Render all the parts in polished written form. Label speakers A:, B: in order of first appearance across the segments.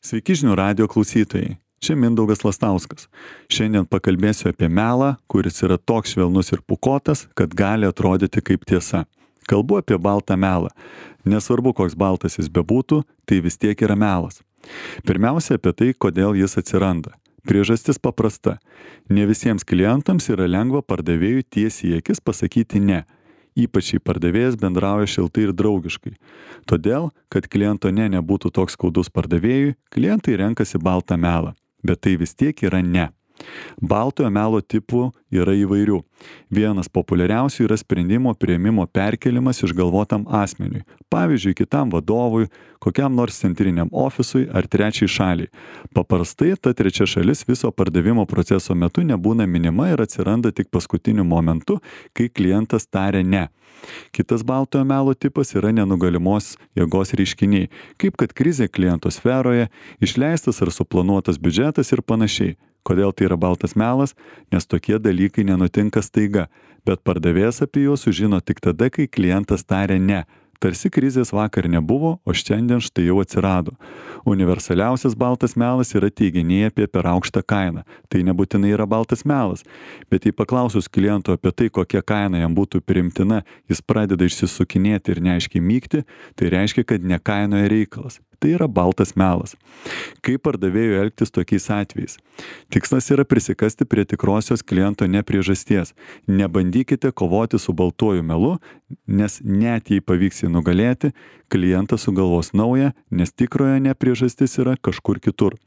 A: Sveiki žinių radijo klausytojai. Čia Mindaugas Lastauskas. Šiandien pakalbėsiu apie melą, kuris yra toks švelnus ir pūkuotas, kad gali atrodyti kaip tiesa. Kalbu apie baltą melą. Nesvarbu, koks baltas jis bebūtų, tai vis tiek yra melas. Pirmiausia apie tai, kodėl jis atsiranda. Priežastis paprasta. Ne visiems klientams yra lengva pardavėjui tiesiai į akis pasakyti ne. Ypač jei pardavėjas bendrauja šiltai ir draugiškai. Todėl, kad kliento ne nebūtų toks skaudus pardavėjui, klientai renkasi baltą melą. Bet tai vis tiek yra ne. Baltojo melo tipų yra įvairių. Vienas populiariausių yra sprendimo priėmimo perkelimas išgalvotam asmeniui. Pavyzdžiui, kitam vadovui, kokiam nors centriniam ofisui ar trečiai šaliai. Paprastai ta trečia šalis viso pardavimo proceso metu nebūna minima ir atsiranda tik paskutiniu momentu, kai klientas taria ne. Kitas baltojo melo tipas yra nenugalimos jėgos reiškiniai, kaip kad krizė kliento sferoje, išleistas ar suplanuotas biudžetas ir panašiai. Kodėl tai yra baltas melas? Nes tokie dalykai nenutinka staiga, bet pardavėjas apie juos sužino tik tada, kai klientas taria ne. Tarsi krizės vakar nebuvo, o šiandien štai jau atsirado. Universaliausias baltas melas yra teiginiai apie per aukštą kainą. Tai nebūtinai yra baltas melas. Bet jei paklausus kliento apie tai, kokia kaina jam būtų priimtina, jis pradeda išsisukinėti ir neaiškiai mykti, tai reiškia, kad ne kainoje reikalas. Tai yra baltas melas. Kaip pardavėjui elgtis tokiais atvejais? Tikslas yra prisikasti prie tikrosios kliento nepriežasties. Nebandykite kovoti su baltuoju melu, nes net jei pavyks jį nugalėti, klientas sugalvos naują, nes tikrojo nepriežastis yra kažkur kitur.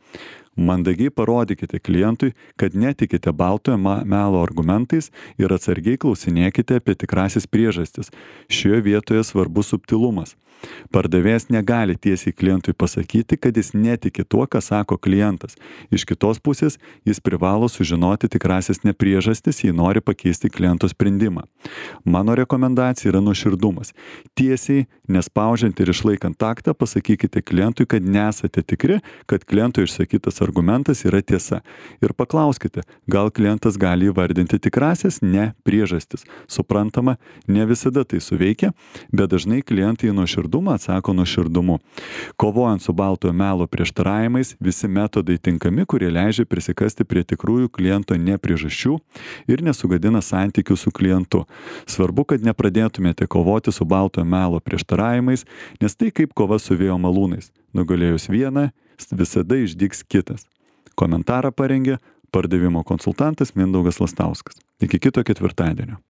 A: Mandagiai parodykite klientui, kad netikite baltojo melo argumentais ir atsargiai klausinėkite apie tikrasis priežastis. Šioje vietoje svarbus subtilumas. Pardavėjas negali tiesiai klientui pasakyti, kad jis netiki tuo, ką sako klientas. Iš kitos pusės, jis privalo sužinoti tikrasis nepriežastis, jei nori pakeisti kliento sprendimą. Mano rekomendacija yra nuoširdumas. Tiesiai, nespaudžiant ir išlaikant taktą, pasakykite klientui, kad nesate tikri, kad kliento išsakytas argumentas yra tiesa. Ir paklauskite, gal klientas gali įvardinti tikrasias ne priežastis. Suprantama, ne visada tai suveikia, bet dažnai klientai nuoširdumą atsako nuoširdumu. Kovojant su baltojo melo prieštaravimais, visi metodai tinkami, kurie leidžia prisikasti prie tikrųjų kliento nepriežasčių ir nesugadina santykių su klientu. Svarbu, kad nepradėtumėte kovoti su baltojo melo prieštaravimais, nes tai kaip kova su vėjo malūnais. Nugalėjus vieną, visada išdygs kitas. Komentarą parengė pardavimo konsultantas Mindaugas Lastauskas. Iki kito ketvirtadienio.